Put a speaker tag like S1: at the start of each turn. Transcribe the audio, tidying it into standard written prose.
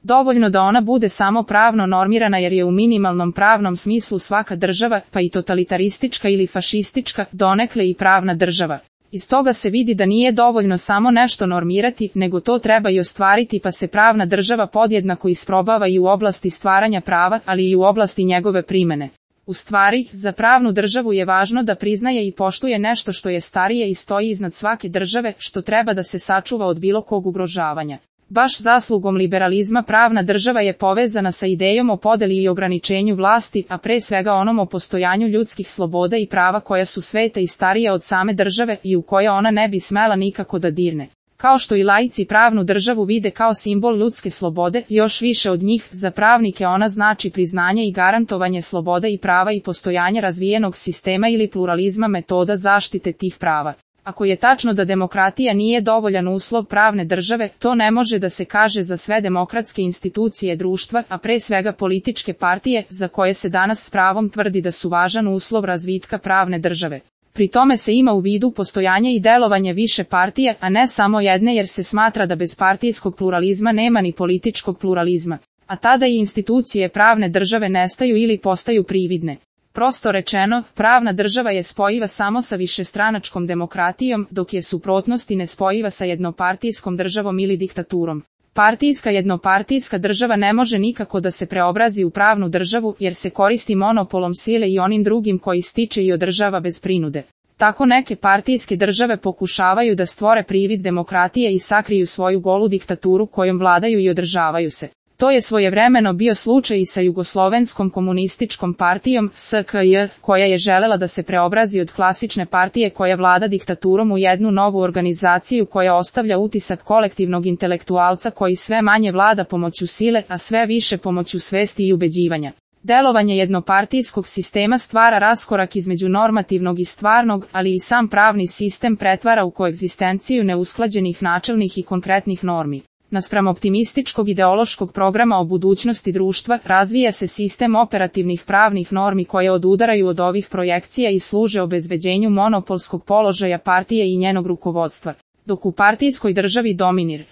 S1: Dovoljno da ona bude samo pravno normirana jer je u minimalnom pravnom smislu svaka država, pa i totalitaristička ili fašistička, donekle i pravna država. Iz toga se vidi da nije dovoljno samo nešto normirati, nego to treba i ostvariti, pa se pravna država podjednako isprobava i u oblasti stvaranja prava, ali i u oblasti njegove primene. U stvari, za pravnu državu je važno da priznaje i poštuje nešto što je starije i stoji iznad svake države, što treba da se sačuva od bilo kog ugrožavanja. Baš zaslugom liberalizma pravna država je povezana sa idejom o podeli i ograničenju vlasti, a pre svega onom o postojanju ljudskih sloboda i prava koja su sveta i starija od same države i u koje ona ne bi smela nikako da dirne. Kao što i laici pravnu državu vide kao simbol ljudske slobode, još više od njih, za pravnike ona znači priznanje i garantovanje sloboda i prava i postojanje razvijenog sistema ili pluralizma metoda zaštite tih prava. Ako je tačno da demokratija nije dovoljan uslov pravne države, to ne može da se kaže za sve demokratske institucije društva, a pre svega političke partije, za koje se danas s pravom tvrdi da su važan uslov razvitka pravne države. Pri tome se ima u vidu postojanje i delovanje više partije, a ne samo jedne, jer se smatra da bez partijskog pluralizma nema ni političkog pluralizma. A tada i institucije pravne države nestaju ili postaju prividne. Prosto rečeno, pravna država je spojiva samo sa višestranačkom demokratijom, dok je suprotnost i nespojiva sa jednopartijskom državom ili diktaturom. Partijska jednopartijska država ne može nikako da se preobrazi u pravnu državu, jer se koristi monopolom sile i onim drugim koji stiče i održava bez prinude. Tako neke partijske države pokušavaju da stvore privid demokratije i sakriju svoju golu diktaturu kojom vladaju i održavaju se. To je svojevremeno bio slučaj i sa Jugoslovenskom komunističkom partijom, SKJ, koja je želela da se preobrazi od klasične partije koja vlada diktaturom u jednu novu organizaciju koja ostavlja utisak kolektivnog intelektualca koji sve manje vlada pomoću sile, a sve više pomoću svesti i ubeđivanja. Delovanje jednopartijskog sistema stvara raskorak između normativnog i stvarnog, ali i sam pravni sistem pretvara u koegzistenciju neusklađenih načelnih i konkretnih normi. Naspram optimističkog ideološkog programa o budućnosti društva, razvija se sistem operativnih pravnih normi koje odudaraju od ovih projekcija i služe obezbeđenju monopolskog položaja partije i njenog rukovodstva. Dok u partijskoj državi dominira